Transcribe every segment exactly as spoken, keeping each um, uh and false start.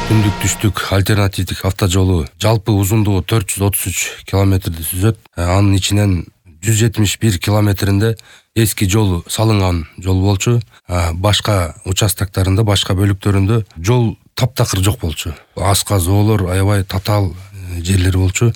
Түндүк түштүк альтернативдик автожолу жалпы узундугу төрт жүз отуз үч километрди түзөт. Анын ичинен жүз жетимиш бир километринде эски жол салынган жол болчу. Башка участоктарында, башка бөлүктөрүндө жол таптакыр жок болчу. Аска зоолор, аябай татаал жерлер болчу.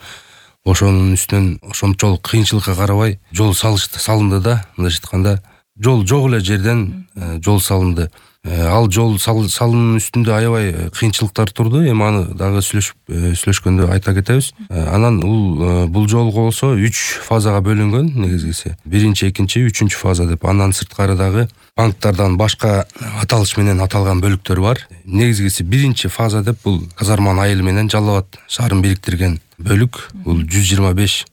Ошонун үстүнөн ошончолук кыйынчылыкка карабай жол салышты, салынды да, мындайча айтканда жол жок эле жерден жол салынды. Ал жол салынуунун үстүндө аябай кыйынчылыктар турду. Эми аны дагы сүйлөшүп сүйлөшкөндө айта кетебиз. Анан бул бул жолго болсо үч фазага бөлүнгөн негизгиси. Биринчи, экинчи, үчүнчү фаза деп. Андан сырткары дагы банктардан башка аталыш менен аталган бөлүктөр бар. Негизгиси биринчи фаза деп бул Казарман айыл менен Жалал Абад шаарын бириктирген бөлүк. Бул жүз жыйырма беш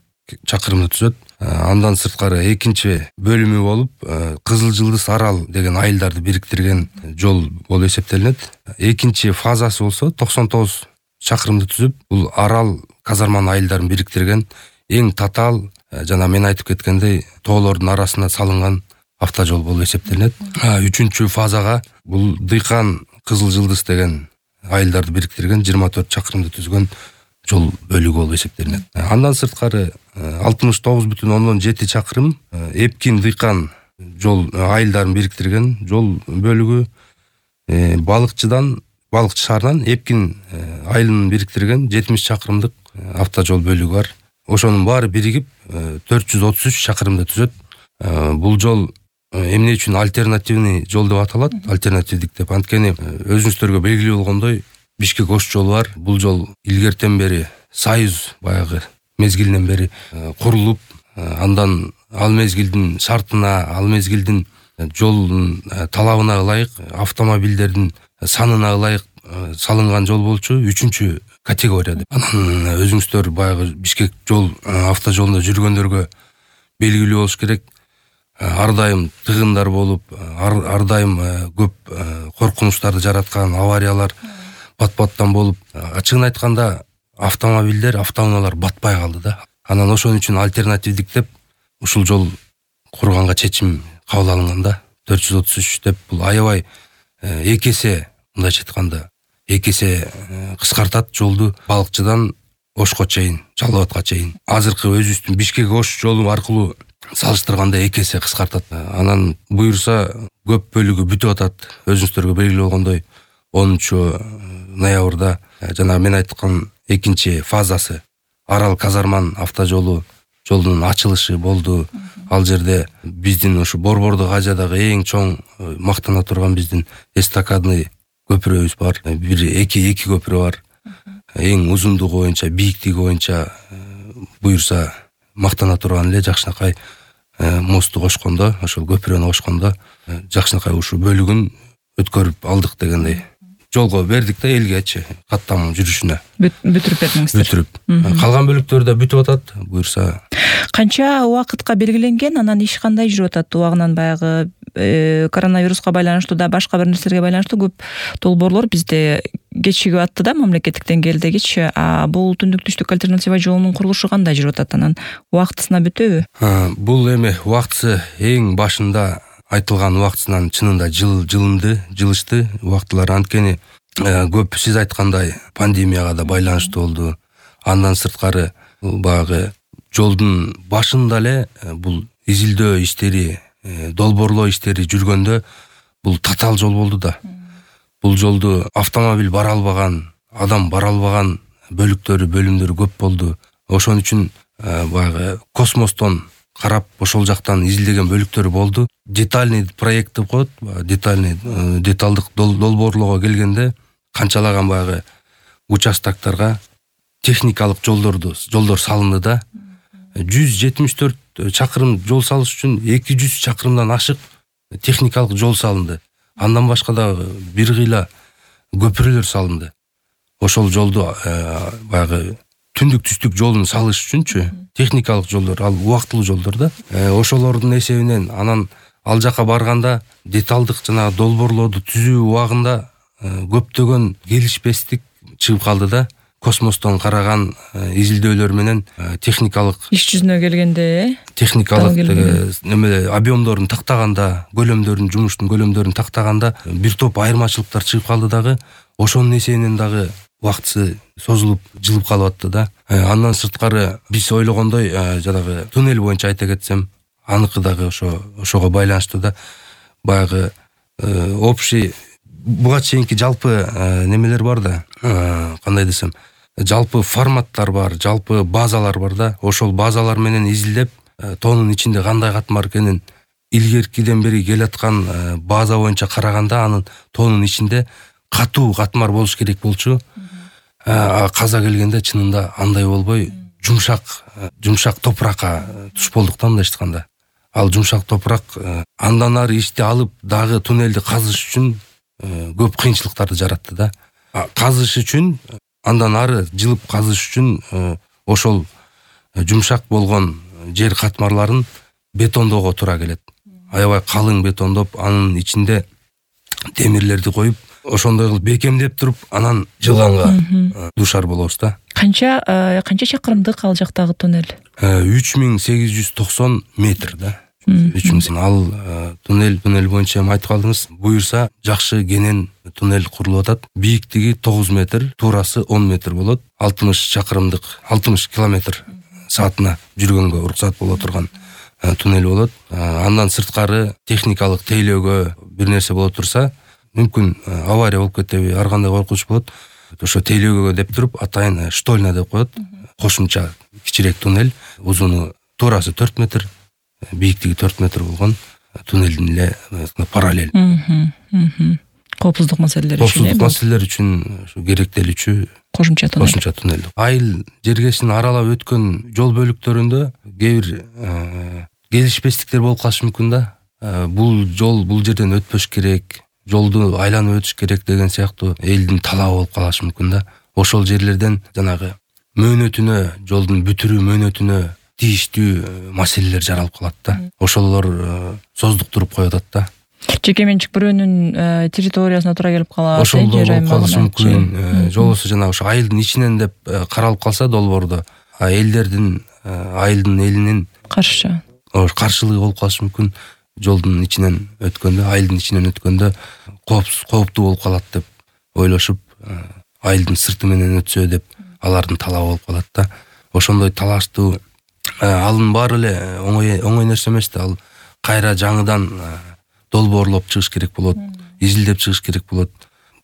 чакырымды түзөт. Андан сырткары экинчи бөлүмү болуп Кызыл Жылдыз Арал деген айылдарды бириктирген жол болуп эсептелинет. Экинчи фазасы болсо токсон тогуз чакырымды түзүп, бул Арал Казарман айылдарын бириктирген эң татаал, жана мен айтып кеткендей, тоолордун арасына салынган автожол болуп эсептелинет. Үчүнчү фазага бул Дыйкан Кызыл Жылдыз деген айылдарды бириктирген жыйырма төрт чакырымды түзгөн жол бөлүгү болуп эсептелинет. Андан сырткары алтымыш тогуз бүтүн ондон жети чакырым Эпкин Дыйкан жол айылдарын бириктирген жол бөлүгү. Балыкчыдан, Балыкчы шаарынан Эпкин айылын бириктирген жетимиш чакырымдык автожол бөлүгү бар. Ошонун баары биригип төрт жүз отуз үч чакырымды түзөт. Бул жол эмне үчүн альтернативный жол деп аталат? Альтернативдик деп. Анткени өзүңүздөргө белгилүү болгондой, Бишкек Ош жолу бар. Бул жол илгертен бери Союз баягы мезгилинен бери курулуп, андан ал мезгилдин шартына, ал мезгилдин жолдун талабына ылайык, автомобилдердин санына ылайык салынган жол болчу. Үчүнчү категория деп. Анан өзүңүздөр баягы Бишкек жол автожолунда жүргөндөргө белгилүү болуш керек. Ар дайым тыгындар болуп, ар дайым көп коркунучтарды жараткан авариялар бат-баттан болуп, ачыгын айтканда автомобилдер, автоунаалар батпай калды да. Анан ошон үчүн альтернативдик деп ушул жол курганга чечим кабыл алынган да. төрт жүз отуз үч деп бул аябай эки эсе, мындайча айтканда, эки эсе кыскартат жолду Балыкчыдан Ошко чейин, Жалал Абадка чейин. Азыркы өзүбүздүн Бишкек Ош жолу аркылуу салыштырганда эки эсе кыскартат. Анан буюрса көп бөлүгү бүтүп атат. Өзүңүздөргө белгилүү болгондой, онунчу ноябрда жана мен айткан экинчи фазасы Арал Казарман автожолу жолдун ачылышы болду. Ал жерде биздин ушу Борбордук Азиядагы эң чоң мактана турган биздин эстакадный көпүрөбүз бар. Бир эки эки көпүрө бар. Эң узундугу боюнча, бийиктиги боюнча буюрса мактана турган эле жакшынакай мосту кошкондо, ошол көпүрөнү кошкондо жакшынакай ушу бөлүгүн өткөрүп алдык дегендей. Жолго бердик да элгечи каттам жүрүшүнө. Бүтүрүп бердиңиздер. Бүтүрүп. Калган бөлүктөр да бүтүп атат, буюрса. Канча убакытка белгиленген, анан иш кандай жүрүп атат? Убагынан баягы коронавируска байланыштуу да, башка бир нерселерге байланыштуу көп долбоорлор бизде кечигип атты да, мамлекеттик деңгээлдегичи. А бул түндүк түштүк альтернатива жолунун курулушу кандай жүрүп атат? Анан убактысына бүтөбү? Бул эми убактысы эң башында айтылган убактысынан чынында жыл жылынды, жылышты убактылар. Анткени көп сиз айткандай пандемияга да байланыштуу болду. Андан сырткары баягы жолдун башында эле бул изилдөө иштери, долбоорлоо иштери жүргөндө бул татаал жол болду да. Бул жолду автомобиль бара албаган, адам бара албаган бөлүктөрү, бөлүмдөрү көп болду. Ошон үчүн баягы космостон карап ошол жактан изилдеген бөлүктөр болду. Детальный проект деп коет, детальный деталдык долбоорлоого келгенде канчалаган баягы участоктарга техникалык жолдорду жолдор салынды да. жүз жетимиш төрт чакырым жол салыш үчүн эки жүз чакырымдан ашык техникалык жол салынды. Андан башка да бир кыйла көпүрөлөр салынды. Ошол жолду баягы түндүк түштүк жолун салыш үчүнчү техникалык жолдор, ал убактылуу жолдор да. Ошолордун эсебинен анан ал жака барганда деталдык жана долбоорлооду түзүү убагында көптөгөн келишпестик чыгып калды да. космостон караган изилдөөлөр менен техникалык иш жүзүнө келгенде техникалык неме объемдорун тактаганда, көлөмдөрүн, жумуштун көлөмдөрүн тактаганда бир топ айырмачылыктар чыгып калды дагы, ошонун эсебинен дагы убактысы созулуп, жылып калып атты да. Андан сырткары биз ойлогондой жанагы туннель боюнча айта кетсем, аныкы дагы ошо ошого байланыштуу да. Баягы общий буга чейинки жалпы немелер бар да, кандай десем, жалпы форматтар бар, жалпы базалар бар да. Ошол базалар менен изилдеп, тоонун ичинде кандай катмар экенин илгеркиден бери келаткан база боюнча караганда, анын тоонун ичинде катуу катмар болуш керек болчу. Каза келгенде чынында андай болбой, жумшак, жумшак топуракка туш болдук да, мындай айтканда. Ал жумшак топурак андан ары ишти алып дагы туннелди казыш үчүн көп кыйынчылыктарды жаратты да. Казыш үчүн, андан ары жылып казыш үчүн ошол жумшак болгон жер катмарларын бетондоого туура келет. Аябай калың бетондоп, анын ичинде темирлерди коюп, ошондой кылып бекемдеп туруп, анан жылганга дуушар болобуз да. Канча канча чакырымдык ал жактагы туннель? үч миң сегиз жүз токсон метр да. үч миң ал туннель туннель боюнча айтып калдыңыз. Буюрса жакшы кенен туннель курулуп атат. Бийиктиги тогуз метр, туурасы он метр болот. алтымыш чакырымдык, алтымыш километр саатына жүргөнгө уруксат боло турган туннель болот. Андан сырткары техникалык тейлөөгө бир нерсе боло турса, мүмкүн авария болуп кетеби, ар кандай коркунуч болот. Ошо тейлөөгө деп туруп, атайын штольня деп коет. Кошумча кичирээк туннель, узуну туурасы төрт метр, бийиктиги төрт метр болгон туннелдин эле параллель. Коопсуздук маселелери үчүн. Коопсуздук маселелери үчүн керектелүүчү кошумча туннель. Кошумча туннель. Айыл жергесин аралап өткөн жол бөлүктөрүндө кээ бир келишпестиктер болуп калышы мүмкүн да. Бул жол бул жерден өтпөш керек, жолду айланып өтүш керек деген сыяктуу элдин талабы болуп калышы мүмкүн да. Ошол жерлерден жанагы мөөнөтүнө, жолдун бүтүрүү мөөнөтүнө тийиштүү маселелер жаралып калат да. Ошолор создуктуруп коюп атат да. Жеке менчик бирөөнүн территориясына туура келип калат. Ошол болуп калышы мүмкүн. Жолбосо жанагы ошо айылдын ичинен деп каралып калса долбоордо, элдердин, айылдын элинин каршы каршылыгы болуп калышы мүмкүн. Жолдун ичинен өткөндө, айылдын ичинен өткөндө кооптуу болуп калат деп ойлошуп, айылдын сырты менен өтсө деп алардын талабы болуп калат да. Ошондой талаштуу алын баары эле оңой оңой нерсе эмес да. Ал кайра жаңыдан долбоорлоп чыгыш керек болот, изилдеп чыгыш керек болот.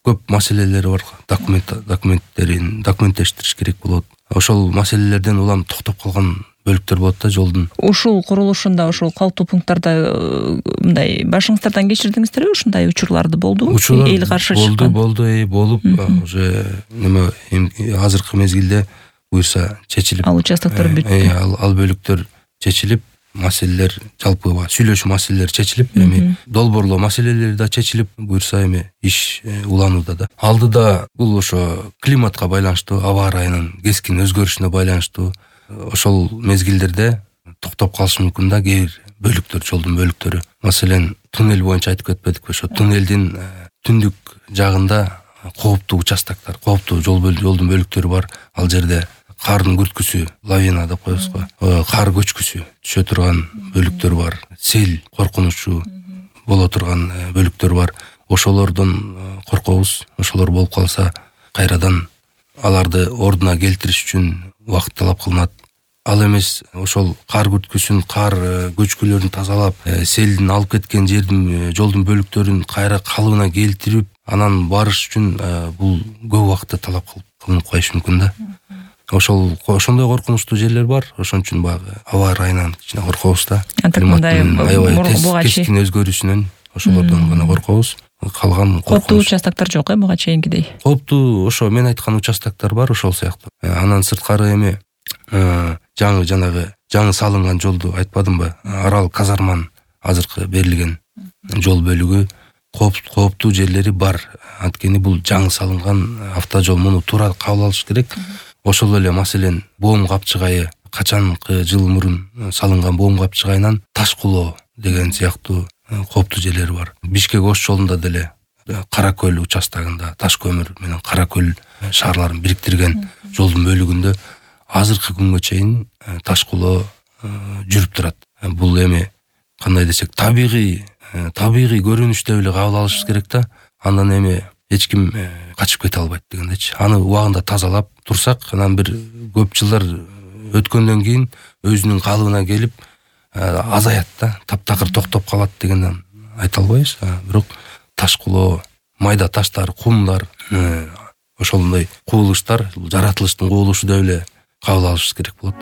Көп маселелери бар. Документ документтерин документтештириш керек болот. Ошол маселелерден улам токтоп калган бөлүктөр болот да жолдун. Ушул курулушунда, ушул калктуу пункттарда мындай башыңыздардан кечирдиңиздерби? Ушундай учурларды болду? Эл каршы чыккан. Болду, болду, болуп, уже неме азыркы мезгилде буюрса чечилип, ал участоктор бүтү. Ал ал бөлүктөр чечилип, маселелер жалпы сүйлөшүү маселелери чечилип, эми долбоорлоо маселелери да чечилип, буюрса эми иш уланууда да. Алдыда бул ошо климатка байланыштуу, аба ырайынын кескин өзгөрүшүнө байланыштуу ошол мезгилдерде токтоп калышы мүмкүн да кээ бир бөлүктөр, жолдун бөлүктөрү. Маселен, туннель боюнча айтып кетпедикпи? Ошо туннелдин түндүк жагында кооптуу участоктор, кооптуу жолдун бөлүктөрү бар. Ал жерде кардын күрткүсү, лавина деп коебуз го, кар көчкүсү түшө турган бөлүктөр бар. Сел коркунучу боло турган бөлүктөр бар. Ошолордон коркобуз. Ошолор болуп калса, кайрадан аларды ордуна келтириш үчүн убакыт талап кылынат. Ал эмес, ошол кар күрткүсүн, кар көчкүлөрүн тазалап, селдин алып кеткен жердин, жолдун бөлүктөрүн кайра калыбына келтирип, анан барыш үчүн бул көп убакытты талап кылынып коюшу мүмкүн да. Ошол ошондой коркунучтуу жерлер бар. Ошон үчүн баягы аба ырайынан кичине коркобуз да. Климаттын аябай кескин өзгөрүшүнөн ошолордон гана коркобуз. Калган кооптуу участоктор жок э буга чейинкидей. Кооптуу ошо мен айткан участоктор бар, ошол сыяктуу. Анан сырткары эми жаңы жанагы жаңы салынган жолду айтпадымбы? Арал казарман азыркы берилген жол бөлүгү кооптуу жерлери бар. Анткени бул жаңы салынган автожол, муну туура кабыл алыш керек. Ошол эле маселен боом капчыгайы качанкы жыл мурун салынган боом капчыгайынан Таш кулоо деген сыяктуу кооптуу жерлери бар. Бишкек Ош жолунда деле Кара көл участогунда таш көмүр менен Кара көл шаарларын бириктирген жолдун бөлүгүндө азыркы күнгө чейин таш кулоо жүрүп турат. Бул эми кандай десек табигый табигый көрүнүш деп эле кабыл алыш керек да. Андан эми эч ким качып кете албайт дегендечи. Аны убагында тазалап турсак, анан бир көп жылдар өткөндөн кийин өзүнүн калыбына келип азаят да, таптакыр токтоп калат дегенден айта албайбыз. Бирок таш кулоо, майда таштар, кумдар, ошондой кубулуштар жаратылыштын кубулушу деп эле кабыл алыш керек болот.